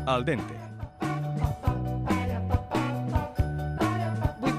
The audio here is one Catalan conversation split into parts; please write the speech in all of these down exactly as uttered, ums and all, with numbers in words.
Al dente.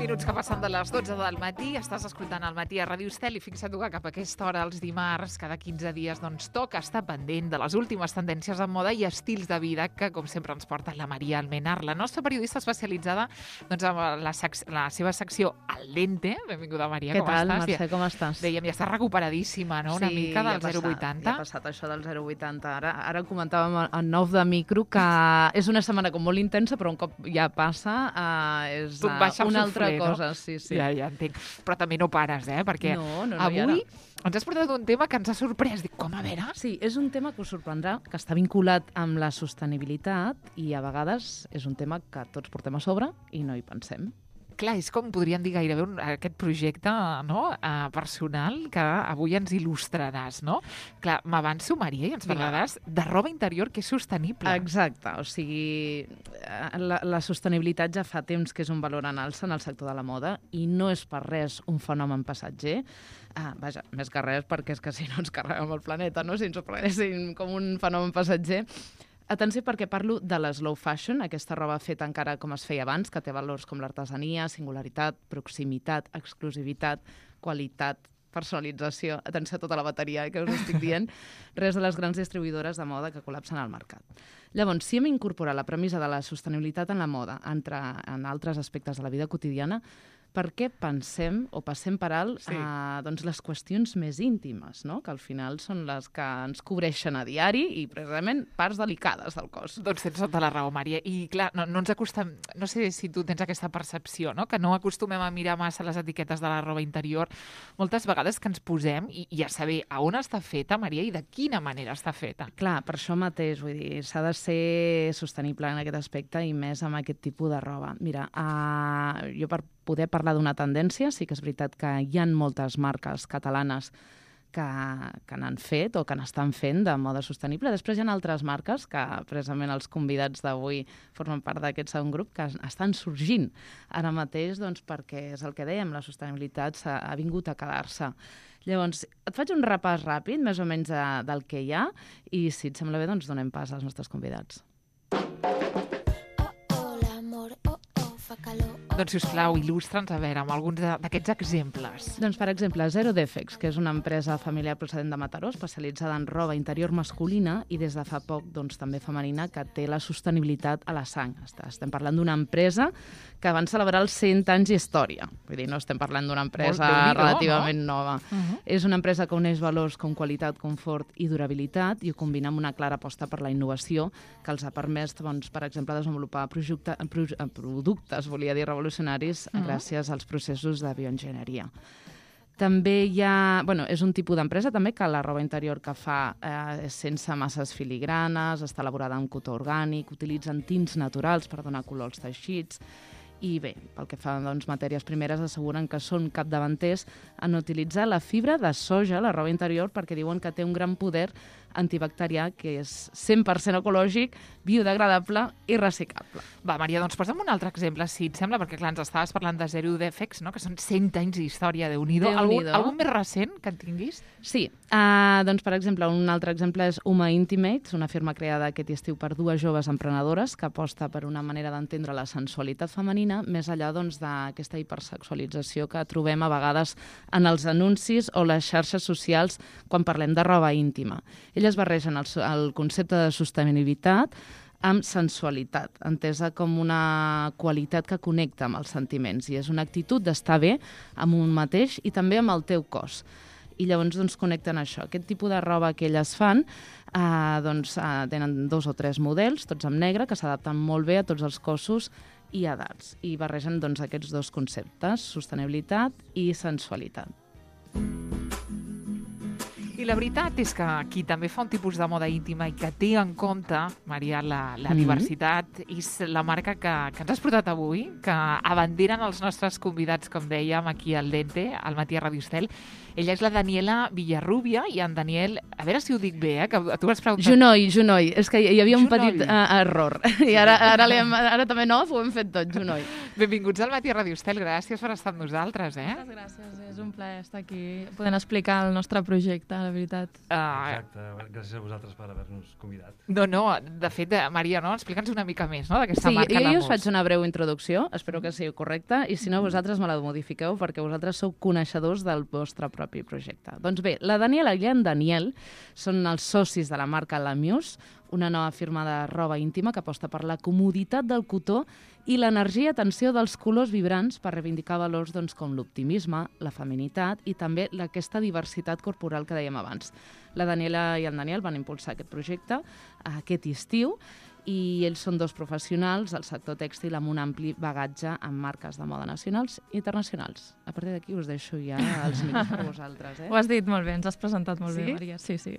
Minuts que passen de les dotze del matí, estàs escoltant al matí a Ràdio Estel i fixa't que cap a aquesta hora, els dimarts, cada quinze dies, doncs toca estar pendent de les últimes tendències en moda i estils de vida que, com sempre, ens porta la Maria Almenar, la nostra periodista especialitzada doncs, amb la, sec la seva secció Al dente. Benvinguda, Maria, Què com tal, estàs? Mercè, com estàs? Dèiem, ja estàs recuperadíssima, no?, una sí, mica del ja zero coma vuitanta. Ja ha passat això del zero coma vuitanta. Ara, ara comentàvem en nou de micro que és una setmana com molt intensa, però un cop ja passa uh, és uh, una altra sofler, cosa. No? Sí, sí. Ja, ja entenc. Però també no pares, eh? Perquè no, no, no, avui ens has portat un tema que ens ha sorprès. Dic, com, a veure? Sí, és un tema que us sorprendrà, que està vinculat amb la sostenibilitat i a vegades és un tema que tots portem a sobre i no hi pensem. Clar, és com podríem dir gairebé un, aquest projecte, no?, uh, personal que avui ens il·lustraràs, no? Clar, m'avanço, Maria, i ens parlaràs de roba interior que és sostenible. Exacte, o sigui, la, la sostenibilitat ja fa temps que és un valor en alça en el sector de la moda i no és per res un fenomen passatger. Ah, vaja, més que res perquè és que si no ens carreguem el planeta, no?, si ens ho prenessin com un fenomen passatger. Atenció, perquè parlo de la slow fashion, aquesta roba feta encara com es feia abans, que té valors com l'artesania, singularitat, proximitat, exclusivitat, qualitat, personalització. Atenció a tota la bateria eh, que us estic dient. Res de les grans distribuïdores de moda que col·lapsen al mercat. Llavors, si hem incorporat la premissa de la sostenibilitat en la moda entre en altres aspectes de la vida quotidiana, per què pensem o passem per alt sí. eh, doncs les qüestions més íntimes, no?, que al final són les que ens cobreixen a diari i precisament parts delicades del cos. Doncs tens tota la raó, Maria. I clar, no, no ens acostem... No sé si tu tens aquesta percepció, no?, que no acostumem a mirar massa les etiquetes de la roba interior. Moltes vegades que ens posem i, i a saber a on està feta, Maria, i de quina manera està feta. Clar, per això mateix, vull dir, s'ha de ser sostenible en aquest aspecte i més amb aquest tipus de roba. Mira, uh, jo per poder parlar d'una tendència, sí que és veritat que hi ha moltes marques catalanes que, que n'han fet o que n'estan fent de moda sostenible. Després hi ha altres marques que precisament els convidats d'avui formen part d'aquest segon grup que estan sorgint ara mateix doncs, perquè és el que dèiem, la sostenibilitat ha, ha vingut a quedar-se. Llavors, et faig un repàs ràpid, més o menys de, del que hi ha, i si et sembla bé, doncs donem pas als nostres convidats. Doncs, sisplau, il·lustra'ns a veure amb alguns d'aquests exemples. Doncs, per exemple, Zero Defects, que és una empresa familiar procedent de Mataró, especialitzada en roba interior masculina i des de fa poc doncs, també femenina, que té la sostenibilitat a la sang. Estem parlant d'una empresa que van celebrar els cent anys d'història. Vull dir, no estem parlant d'una empresa relativament no? nova. Uh -huh. És una empresa que uneix valors com qualitat, confort i durabilitat i ho combina amb una clara aposta per la innovació que els ha permès, doncs, per exemple, desenvolupar projecte, pro, productes, volia dir, revolucionaris uh -huh. gràcies als processos de bioenginyeria. També hi ha... Bueno, és un tipus d'empresa també que la roba interior que fa eh, és sense masses filigranes, està elaborada en cotó orgànic, utilitzen tints naturals per donar color als teixits i bé, pel que fa a doncs, matèries primeres, asseguren que són capdavanters en utilitzar la fibra de soja a la roba interior perquè diuen que té un gran poder antibacterià que és cent per cent ecològic, biodegradable i reciclable. Va, Maria, doncs posa'm un altre exemple, si et sembla, perquè clar, ens estaves parlant de Zero Defects, no?, que són cent anys d'història, Déu-n'hi-do. Algun, algun més recent que en tinguis? Sí, uh, doncs per exemple, un altre exemple és Uma Intimates, una firma creada aquest estiu per dues joves emprenedores que aposta per una manera d'entendre la sensualitat femenina més enllà doncs, d'aquesta hipersexualització que trobem a vegades en els anuncis o les xarxes socials quan parlem de roba íntima. Elles barregen el, el concepte de sostenibilitat amb sensualitat, entesa com una qualitat que connecta amb els sentiments i és una actitud d'estar bé amb un mateix i també amb el teu cos. I llavors doncs, connecten això. Aquest tipus de roba que elles fan eh, doncs, eh, tenen dos o tres models, tots en negre, que s'adapten molt bé a tots els cossos i edats. I barregen doncs, aquests dos conceptes, sostenibilitat i sensualitat. I la veritat és que qui també fa un tipus de moda íntima i que té en compte, Maria, la, la mm-hmm. diversitat, és la marca que, que ens has portat avui, que abanderen els nostres convidats, com dèiem, aquí al Dente, al matí a Ràdio Estel. Ella és la Daniela Villarrubia i en Daniel, a veure si ho dic bé, eh, que tu vas preguntar... Junoy, Junoy, és que hi havia un Junoy. petit uh, error. I ara, ara, hem, ara també no, ho hem fet tot, Junoy. Benvinguts al matí a Ràdio Estel, gràcies per estar amb nosaltres, eh? Moltes gràcies, és un plaer estar aquí podent explicar el nostre projecte, la veritat. Uh, Exacte, gràcies a vosaltres per haver-nos convidat. no, no, de fet, eh, Maria, no? Explica'ns una mica més, no?, d'aquesta Sí, marca jo, jo Lamus. us faig una breu introducció, espero que sigui correcta, i si no, vosaltres me la modifiqueu perquè vosaltres sou coneixedors del vostre propi projecte. Doncs bé, la Daniela i en Daniel són els socis de la marca Lamus, una nova firma de roba íntima que aposta per la comoditat del cotó i l'energia i atenció dels colors vibrants per reivindicar valors doncs, com l'optimisme, la feminitat i també aquesta diversitat corporal que dèiem abans. La Daniela i el Daniel van impulsar aquest projecte aquest estiu i ells són dos professionals del sector tèxtil amb un ampli bagatge en marques de moda nacionals i internacionals. A partir d'aquí us deixo ja els mics per vosaltres. Eh? Ho has dit molt bé, ens has presentat molt Sí? bé, Maria. Sí, sí.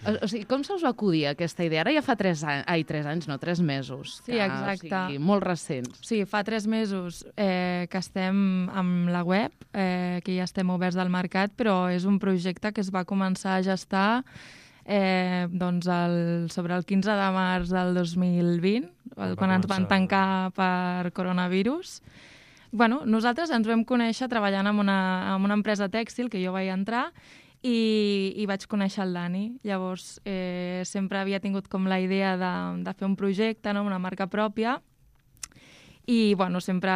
O, o sigui, com se us va acudir aquesta idea? Ara ja fa tres anys, ai, tres anys, no, tres mesos. Sí, que, exacte. O sigui, molt recents. Sí, fa tres mesos eh, que estem amb la web, eh, que ja estem oberts del mercat, però és un projecte que es va començar a gestar eh, doncs el, sobre el quinze de març del dos mil vint, el, quan ens van tancar per coronavirus. Bueno, nosaltres ens vam conèixer treballant en una, en una empresa tèxtil que jo vaig entrar i, i vaig conèixer el Dani. Llavors, eh, sempre havia tingut com la idea de, de fer un projecte, no? Una marca pròpia. I, bueno, sempre,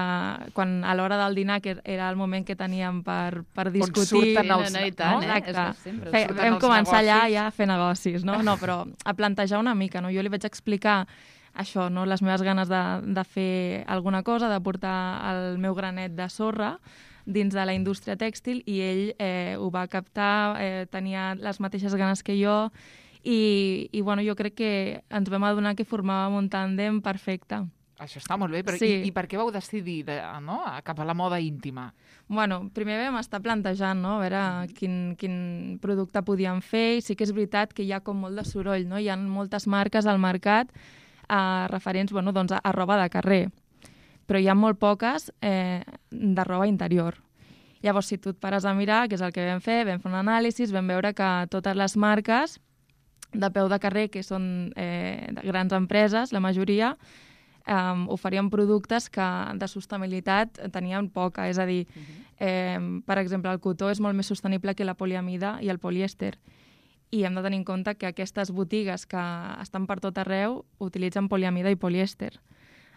quan a l'hora del dinar, que era el moment que teníem per, per discutir... surten els- no, no, i tant, no? eh? Exacte. És que sempre Fe, surten vam els començar allà negocis. ja a fer negocis, no? No, però a plantejar una mica, no? Jo li vaig explicar això, no? Les meves ganes de, de fer alguna cosa, de portar el meu granet de sorra dins de la indústria tèxtil i ell eh, ho va captar, eh, tenia les mateixes ganes que jo i, i bueno, jo crec que ens vam adonar que formàvem un tàndem perfecte. Això està molt bé, però Sí. i, i per què vau decidir de, no? cap a la moda íntima? Bueno, primer vam estar plantejant, no? A veure quin, quin producte podíem fer i sí que és veritat que hi ha com molt de soroll, no? Hi ha moltes marques al mercat eh, referents, bueno, doncs a, a roba de carrer, però hi ha molt poques eh, de roba interior. Llavors, si tu et pares a mirar, que és el que vam fer, vam fer un anàlisi, vam veure que totes les marques de peu de carrer, que són eh, de grans empreses, la majoria, Um, oferien productes que de sostenibilitat tenien poca, és a dir, uh-huh. eh, per exemple, el cotó és molt més sostenible que la poliamida i el polièster. I hem de tenir en compte que aquestes botigues que estan per tot arreu utilitzen poliamida i polièster.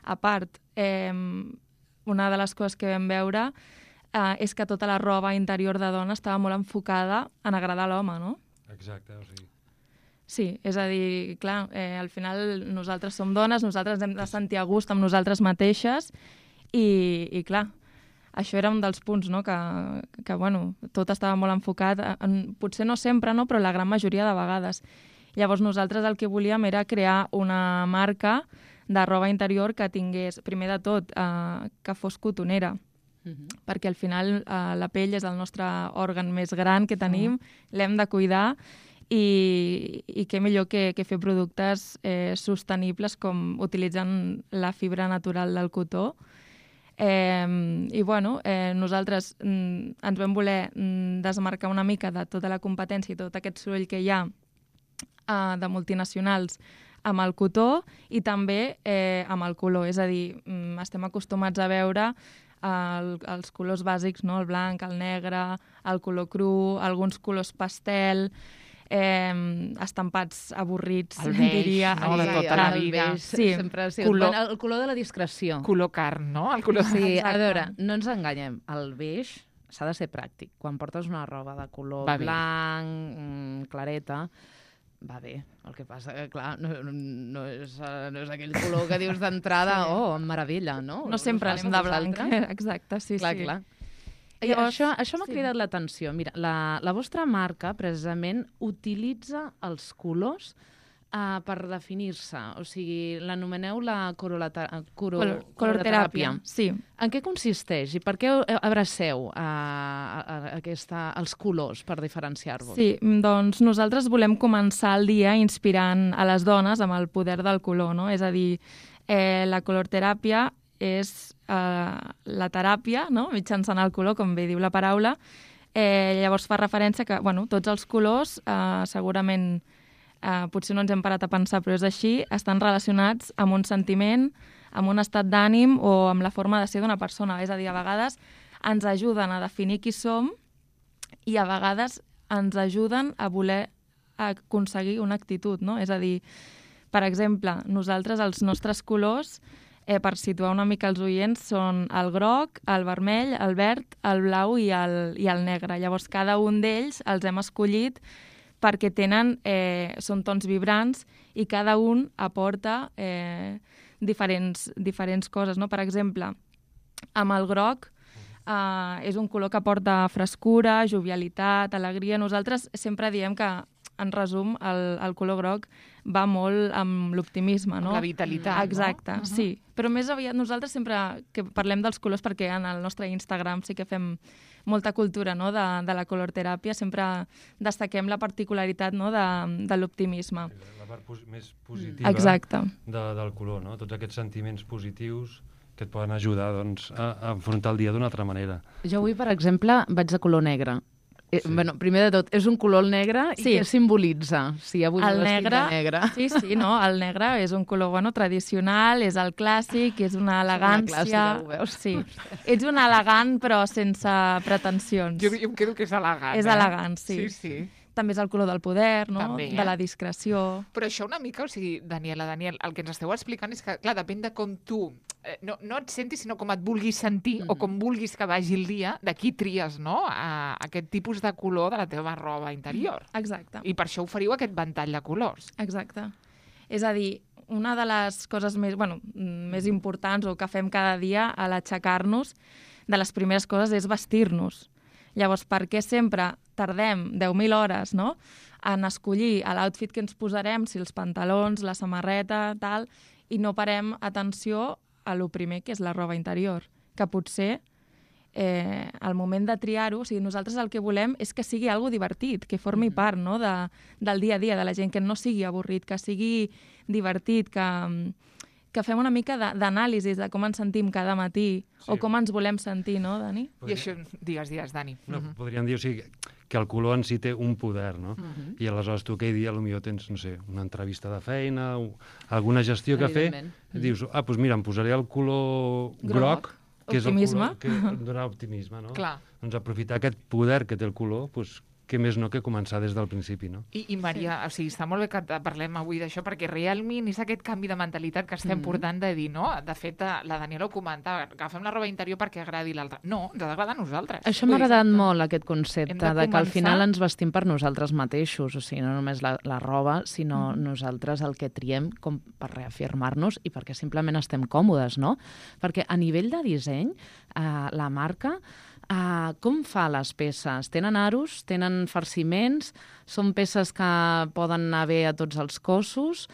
A part, eh, una de les coses que vam veure eh, és que tota la roba interior de dona estava molt enfocada en agradar a l'home, no? Exacte, o sigui... Sí, és a dir, clar, eh, al final nosaltres som dones, nosaltres hem de sentir a gust amb nosaltres mateixes i, i clar, això era un dels punts, no?, que, que bueno, tot estava molt enfocat, en, potser no sempre, no?, però la gran majoria de vegades. Llavors nosaltres el que volíem era crear una marca de roba interior que tingués, primer de tot, eh, que fos cotonera, uh-huh. perquè al final eh, la pell és el nostre òrgan més gran que tenim, uh-huh. l'hem de cuidar, i, i què millor que, que fer productes eh, sostenibles com utilitzant la fibra natural del cotó. Eh, I bueno, eh, nosaltres mm, ens vam voler mm, desmarcar una mica de tota la competència i tot aquest soroll que hi ha eh, de multinacionals amb el cotó i també eh, amb el color. És a dir, mm, estem acostumats a veure el, els colors bàsics, no? El blanc, el negre, el color cru, alguns colors pastel... Eh, estampats avorrits, el beix, diria, no? De tota la el vida. beix, Sí. sempre ha sigut Color- bueno, el color de la discreció. Color carn, no? El color... Sí, a Exacte. veure, no ens enganyem, el beix s'ha de ser pràctic. Quan portes una roba de color Va bé. blanc, mm, clareta, va bé. El que passa que, clar, no, no, és, eh, no és aquell color que dius d'entrada, Sí. oh, meravella, no? No sempre Us anem passa de a blanc. vosaltres? Exacte, sí, Clar, sí. clar. I Llavors, això això m'ha sí. cridat l'atenció. Mira, la, la vostra marca, precisament, utilitza els colors uh, per definir-se. O sigui, l'anomeneu la corolata, coro, Color, coloroteràpia, sí. En què consisteix i per què abraceu a, a, a aquesta, els colors per diferenciar-vos? Sí, doncs nosaltres volem començar el dia inspirant a les dones amb el poder del color, no? És a dir, eh, la colorteràpia és eh, la teràpia, no?, mitjançant el color, com bé diu la paraula. Eh, llavors fa referència que, bueno, tots els colors, eh, segurament, eh, potser no ens hem parat a pensar, però és així, estan relacionats amb un sentiment, amb un estat d'ànim o amb la forma de ser d'una persona. És a dir, a vegades ens ajuden a definir qui som i a vegades ens ajuden a voler aconseguir una actitud, no? És a dir, per exemple, nosaltres els nostres colors, eh, per situar una mica els oients, són el groc, el vermell, el verd, el blau i el, i el negre. Llavors, cada un d'ells els hem escollit perquè tenen, eh, són tons vibrants i cada un aporta eh, diferents, diferents coses, no? Per exemple, amb el groc, Uh, és un color que porta frescura, jovialitat, alegria. Nosaltres sempre diem que, en resum, el, el color groc va molt amb l'optimisme, no? Amb la vitalitat, Exacte, no? sí. Però més aviat nosaltres sempre que parlem dels colors, perquè en el nostre Instagram sí que fem molta cultura, no?, de, de la colorteràpia, sempre destaquem la particularitat, no?, de, de l'optimisme. La part pos més positiva Exacte. de, del color, no? Tots aquests sentiments positius que et poden ajudar, doncs, a, a afrontar el dia d'una altra manera. Jo avui, per exemple, vaig de color negre. Eh, Sí. bueno, primer de tot, és un color negre i Sí. què simbolitza? Sí, avui El vestit negre, de negre. sí, sí, no? El negre és un color, bueno, tradicional, és el clàssic, és una elegància... clàssica, ho veus? Sí. Ets un elegant, però sense pretensions. Jo, jo em quedo que és elegant. És eh? elegant, sí. Sí, sí. També és el color del poder, no? També, eh? De la discreció. Però això una mica, o sigui, Daniela, Daniel, el que ens esteu explicant és que, clar, depèn de com tu, eh, no, no et sentis, sinó com et vulguis sentir Mhm. o com vulguis que vagi el dia, d'aquí tries, no?, a, aquest tipus de color de la teva roba interior. Exacte. I per això oferiu aquest ventall de colors. Exacte. És a dir, una de les coses més, bueno, més importants o que fem cada dia a l'aixecar-nos, de les primeres coses és vestir-nos. Llavors, per què sempre tardem deu mil hores, no?, en escollir l'outfit que ens posarem, si els pantalons, la samarreta, tal, i no parem atenció a lo primer, que és la roba interior, que potser eh, al moment de triar-ho, o sigui, nosaltres el que volem és que sigui algo divertit, que formi part, no?, de, del dia a dia de la gent, que no sigui avorrit, que sigui divertit, que, que fem una mica de- d'anàlisi de com ens sentim cada matí, Sí. o com ens volem sentir, no, Dani? I això, digues, digues, Dani. No, Mhm. podríem dir, o sigui, que el color en si té un poder, no? Mhm. I aleshores tu aquell dia potser tens, no sé, una entrevista de feina, o alguna gestió que fer, Evidentment. dius, ah, doncs mira, em posaré el color groc, Groc. que és el Optimisme. color que em dona optimisme, no? Clar. Doncs aprofitar aquest poder que té el color, doncs, què més no que començar des del principi, no? I, I Maria, sí. o sigui, està molt bé que te- parlem avui d'això, perquè realment és aquest canvi de mentalitat que estem Mhm. portant de dir, no? De fet, eh, la Daniela ho comentava, agafem la roba interior perquè agradi l'altre. No, ens ha d'agradar a nosaltres. Això m'ha Vull dir, agradat exacte. molt, aquest Hem concepte, de de, que al començar- final ens vestim per nosaltres mateixos, o sigui, no només la, la roba, sinó Mm. nosaltres el que triem com per reafirmar-nos i perquè simplement estem còmodes, no? Perquè a nivell de disseny, eh, la marca, eh, com fa les peces? Tenen aros, tenen farciments, són peces que poden anar bé a tots els cossos,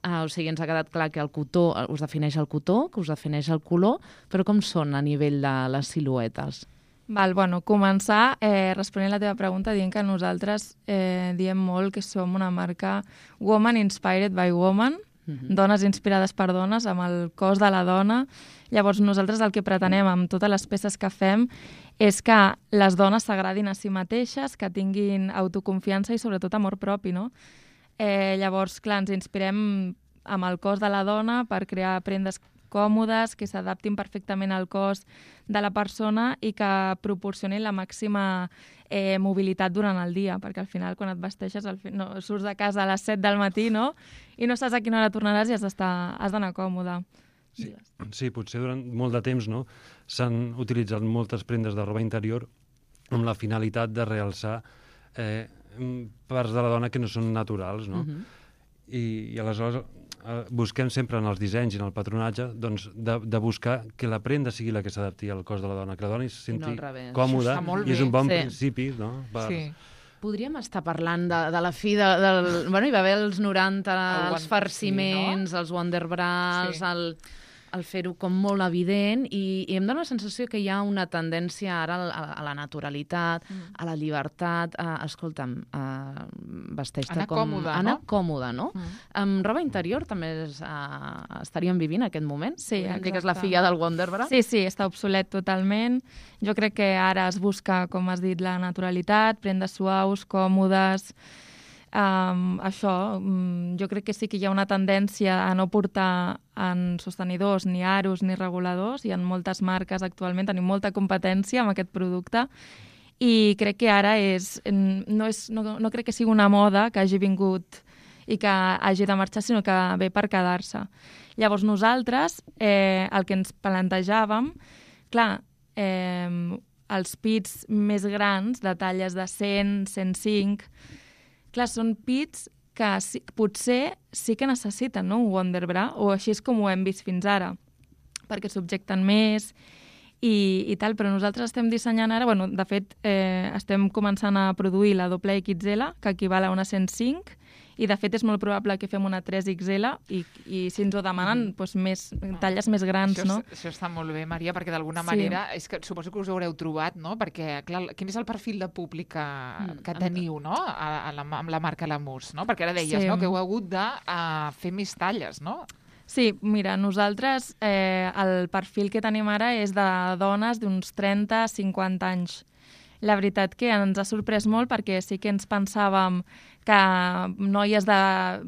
Uh, o sigui, ens ha quedat clar que el cotó, uh, us defineix el cotó, que us defineix el color, però com són a nivell de les siluetes? Val, bueno, començar eh, responent la teva pregunta dient que nosaltres eh, diem molt que som una marca Woman Inspired by Woman, Mhm. dones inspirades per dones, amb el cos de la dona. Llavors, nosaltres el que pretenem amb totes les peces que fem és que les dones s'agradin a si mateixes, que tinguin autoconfiança i sobretot amor propi, no? Eh, llavors, clar, ens inspirem amb el cos de la dona per crear prendes còmodes, que s'adaptin perfectament al cos de la persona i que proporcionin la màxima eh, mobilitat durant el dia, perquè al final quan et vesteixes al fi... no, surts de casa a les set del matí, no?, i no saps a quina hora tornaràs i has d'estar has d'anar còmode. Sí, sí, potser durant molt de temps, no?, s'han utilitzat moltes prendes de roba interior amb la finalitat de realçar eh, parts de la dona que no són naturals, no? Mhm. I, i aleshores eh, busquem sempre en els dissenys i en el patronatge doncs, de, de buscar que la prenda sigui la que s'adapti al cos de la dona, que la dona es I no senti al revés. còmoda, Això està molt i és bé. un bon Sí. principi, no? Per... Sí. Podríem estar parlant de, de la fi de, del... Bueno, hi va haver els noranta, El els Won- farciments, sí, no? els Wonderbras, Sí. el, el fer-ho com molt evident, i, i em dóna la sensació que hi ha una tendència ara a, a la naturalitat, Mm. a la llibertat, a, escolta'm, a vesteix-te Anar com... còmode, anar no? còmode, no? Mm. Amb roba interior també és, uh, estaríem vivint aquest moment? Sí, Podríem dir que és la exacte. filla del Wonderbra? Sí, sí, està obsolet totalment. Jo crec que ara es busca, com has dit, la naturalitat, prendes suaus, còmodes. Um, això, um, jo crec que sí que hi ha una tendència a no portar en sostenidors, ni aros, ni reguladors. Hi ha moltes marques actualment, tenim molta competència amb aquest producte i crec que ara és, no, és, no, no crec que sigui una moda que hagi vingut i que hagi de marxar, sinó que ve per quedar-se. Llavors nosaltres, eh, el que ens plantejàvem, clar, eh, els pits més grans, de talles de cent, cent cinc, clar, són pits que sí, potser sí que necessiten, no?, un Wonderbra, o així és com ho hem vist fins ara, perquè subjecten més i, i tal, però nosaltres estem dissenyant ara, bueno, de fet, eh, estem començant a produir la doble X L, que equival a una cent cinc, i de fet és molt probable que fem una tres X L i, i si ens ho demanen, doncs més, talles més grans, això, no? Això està molt bé, Maria, perquè d'alguna Sí. manera, és que suposo que us ho haureu trobat, no? Perquè, clar, quin és el perfil de públic que, que teniu, no?, a, a la, amb la marca Lamus, no? Perquè ara deies, Sí. no?, que heu hagut de uh, fer més talles, no? Sí, mira, nosaltres eh, el perfil que tenim ara és de dones d'uns trenta a cinquanta anys. La veritat que ens ha sorprès molt perquè sí que ens pensàvem que noies de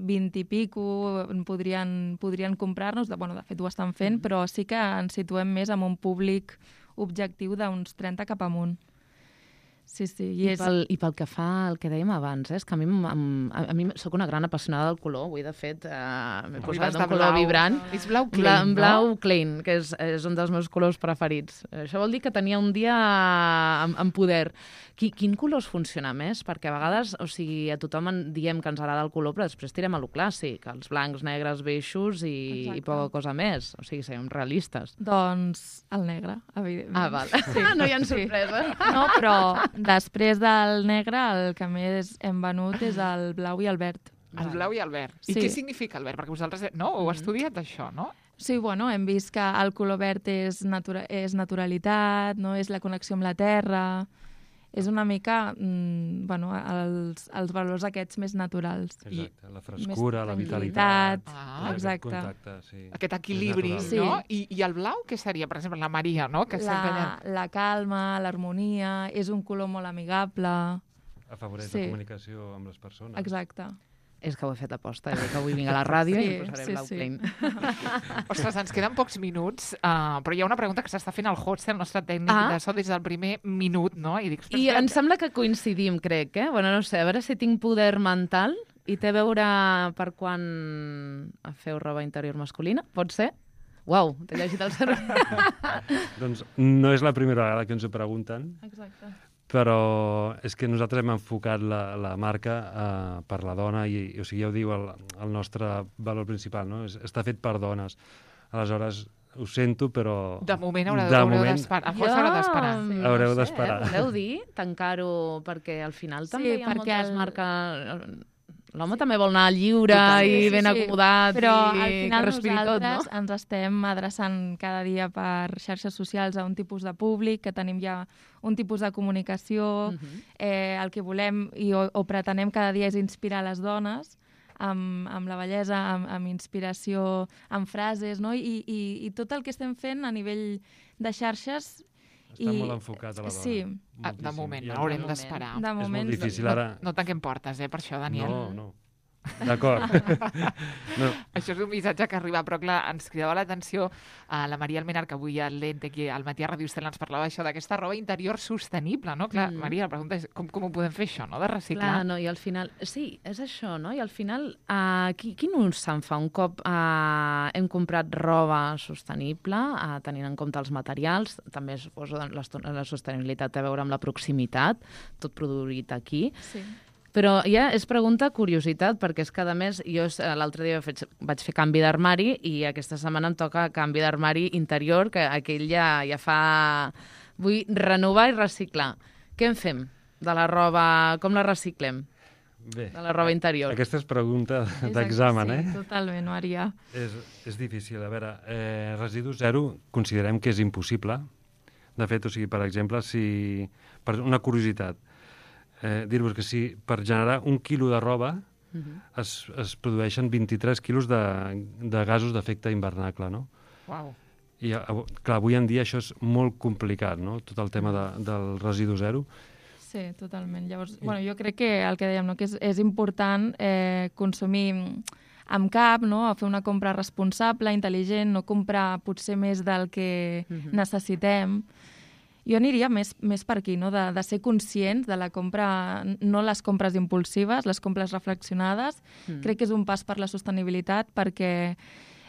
vint i pico podrien, podrien comprar-nos, de, bueno, de fet ho estan fent, mm. però sí que ens situem més en un públic objectiu d'uns trenta cap amunt. Sí, sí. I, I, és... pel, I pel que fa al que dèiem abans, eh, és que a mi, a, a mi soc una gran apassionada del color. Avui, de fet, eh, m'he posat un color blau, vibrant. És blau Bla, Klein, blau no? Klein, que és, és un dels meus colors preferits. Això vol dir que tenia un dia amb, amb poder. Qui, quin color us funciona més? Perquè a vegades, o sigui, a tothom en diem que ens agrada el color, però després tirem a lo clàssic, els blancs, negres, beixos i, i poca cosa més. O sigui, siguem realistes. Doncs el negre, evidentment. Ah, val. Sí. No hi ha sorpresa. No, però després del negre el que més hem venut és el blau i el verd. El blau i el verd. I Sí. què significa el verd? Perquè vosaltres, no, ho heu estudiat, això, no? Sí, bueno, hem vist que el color verd és, natura és naturalitat, no? És la connexió amb la terra, és una mica mm, bueno, els, els valors aquests més naturals. Exacte, la frescura, la tranquil·litat, vitalitat. Ah, exacte. Contacte, sí. Aquest equilibri, És Sí. no? I, I el blau, què seria? Per exemple, la Maria, no? Que sempre La, allà... la calma, l'harmonia, és un color molt amigable. Afavoreix Sí. la comunicació amb les persones. Exacte. És que ho he fet a posta, eh? Que avui vinc a la ràdio Sí, i em posaré sí, blau sí. Klein. Ostres, ens queden pocs minuts, uh, però hi ha una pregunta que s'està fent al José, el nostre tècnic Ah. de so, des del primer minut, no? I dic, ostres, I que- em sembla que coincidim, crec, eh? Bueno, no sé, a veure si tinc poder mental i té a veure per quan feu roba interior masculina, pot ser? Uau, t'he llegit el cervell. Doncs no és la primera vegada que ens ho pregunten, Exacte. però és que nosaltres hem enfocat la, la marca uh, per la dona i, i, o sigui, ja ho diu el, el nostre valor principal, no? És, està fet per dones. Aleshores, ho sento, però... De moment haureu, de haureu moment d'esperar. El José haurà d'esperar. Sí, Haureu no sé, d'esperar. Eh? Voleu dir tancar-ho perquè al final Sí, també hi ha perquè moltes el- marques... L'home també vol anar lliure Totalment. i Sí, ben sí, acomodat però i al que final respiri tot, nosaltres no? ens estem adreçant cada dia per xarxes socials a un tipus de públic, que tenim ja un tipus de comunicació, Mhm. eh, el que volem i o, o pretenem cada dia és inspirar les dones amb, amb la bellesa, amb, amb inspiració, amb frases, no? I, i, i tot el que estem fent a nivell de xarxes... Està i- molt enfocat a la dona. Sí. Ah, de moltíssim. moment, I no, ens- haurem De moment. d'esperar. De És moment... molt difícil No, ara... no tanquem portes, eh, per això, Daniel. No, no. D'acord. no, Això és un missatge que arriba, però clar, ens cridava l'atenció a la Maria Almenar, que avui al Lente, aquí al Matí a Ràdio Estel ens parlava això d'aquesta roba interior sostenible, no? Clar, Mm. Maria, la pregunta és com, com ho podem fer això, no?, de reciclar. Clar, no, i al final... Sí, és això, no? I al final, uh, qui, quin ús se'n fa un cop uh, hem comprat roba sostenible, uh, tenint en compte els materials, també suposo que la, la sostenibilitat té a veure amb la proximitat, tot produït aquí. Sí. Però ja és pregunta curiositat, perquè és que, a més, jo eh, l'altre dia vaig, vaig fer canvi d'armari i aquesta setmana em toca canvi d'armari interior, que aquell ja, ja fa... Vull renovar i reciclar. Què en fem de la roba? Com la reciclem? bé. De la roba interior. Aquesta és pregunta És d'examen, sí, eh? totalment, Maria. És, és difícil. A veure, eh, residu zero considerem que és impossible. De fet, o sigui, per exemple, si... Per una curiositat, eh, dir-vos que si per generar un quilo de roba Uh -huh. es, es produeixen vint-i-tres quilos de, de gasos d'efecte hivernacle, no? Uau. I, av- clar, avui en dia això és molt complicat, no?, tot el tema de, del residu zero. Sí, totalment. Llavors, bueno, jo crec que el que dèiem, no? que és, és important eh, consumir amb cap, no? Fer una compra responsable, intel·ligent, no comprar potser més del que Mhm. necessitem. Jo aniria més, més per aquí, no? de, de ser conscients de la compra, no les compres impulsives, les compres reflexionades. Mm. Crec que és un pas per la sostenibilitat perquè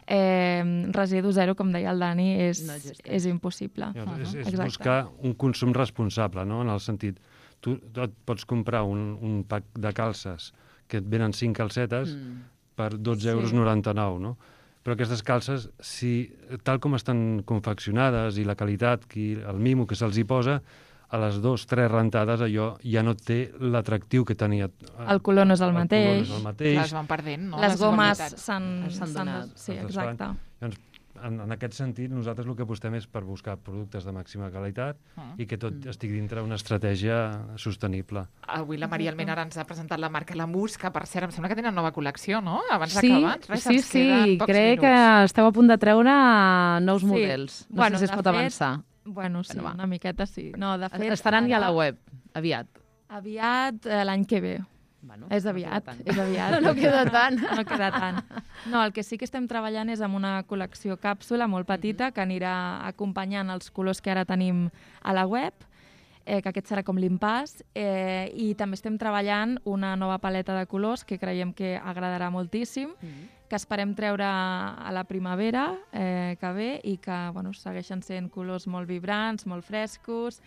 eh, residu zero, com deia el Dani, és, no és impossible. Uh -huh. És, és buscar un consum responsable, no? En el sentit, tu, tu et pots comprar un, un pack de calces que et venen cinc calcetes mm. per dotze euros noranta-nou, no? Però aquestes calces, si, tal com estan confeccionades i la qualitat, qui, el mimo que se'ls hi posa, a les dues, tres rentades allò ja no té l'atractiu que tenia. El color no és el, el mateix. No és el mateix. Les van perdent, no? Les, les gomes s'han donat. Sí, exacte. Llavors, en, en aquest sentit, nosaltres el que apostem és per buscar productes de màxima qualitat mm. i que tot mm. estigui dintre una estratègia sostenible. Avui la Maria Almena ara ens ha presentat la marca Lamus, que per cert em sembla que tenen nova col·lecció, no? Abans sí, d'acabar. Res, sí, sí, crec minuts. que esteu a punt de treure nous sí. models. No bueno, sé si es pot fet, avançar. Bueno, sí, bueno, una miqueta sí. No, de fet, estaran ara... ja a la web, aviat. Aviat, eh, l'any que ve. Bueno, és aviat, no és aviat. No queda tant. No queda tant. No, el que sí que estem treballant és amb una col·lecció càpsula molt petita que anirà acompanyant els colors que ara tenim a la web, eh, que aquest serà com l'impàs, eh, i també estem treballant una nova paleta de colors que creiem que agradarà moltíssim, mm-hmm. que esperem treure a la primavera eh, que ve i que bueno, segueixen sent colors molt vibrants, molt frescos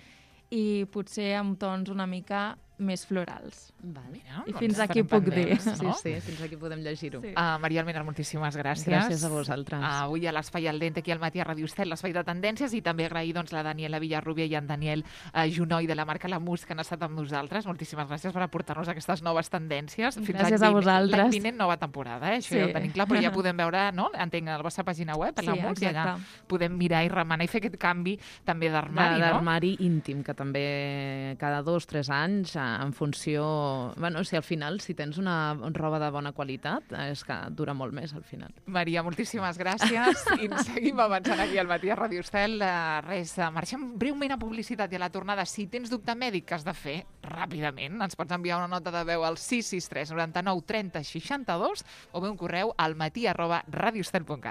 i potser amb tons una mica més florals. Vale. Mira, I fins aquí puc dir. No? Sí, sí, fins aquí podem llegir-ho. Sí. Uh, Maria Almena, moltíssimes gràcies. Gràcies a vosaltres. Uh, avui a l'Espai al Dente, aquí al matí a Ràdio Estel, l'Espai de Tendències, i també agrair doncs, la Daniela Villarrubia i en Daniel uh, Junoi de la marca Lamus, que han estat amb nosaltres. Moltíssimes gràcies per aportar-nos aquestes noves tendències. Fins gràcies a vosaltres. L'any vinent, nova temporada, eh? Això sí. ja ho tenim clar, però ja podem veure, no? Entenc, a la vostra pàgina web, a sí, Lamus, i allà podem mirar i remenar i fer aquest canvi també d'armari, no? D'armari íntim, que també cada dos, tres anys, en funció... Bueno, si al final, si tens una roba de bona qualitat, és que dura molt més al final. Maria, moltíssimes gràcies. I ens seguim avançant aquí al matí a Ràdio Estel. Uh, res, uh, marxem breument a publicitat i a la tornada. Si tens dubte mèdic que has de fer, ràpidament, ens pots enviar una nota de veu al sis sis tres noranta-nou trenta seixanta-dos o bé un correu al matí arroba radioestel punt cat.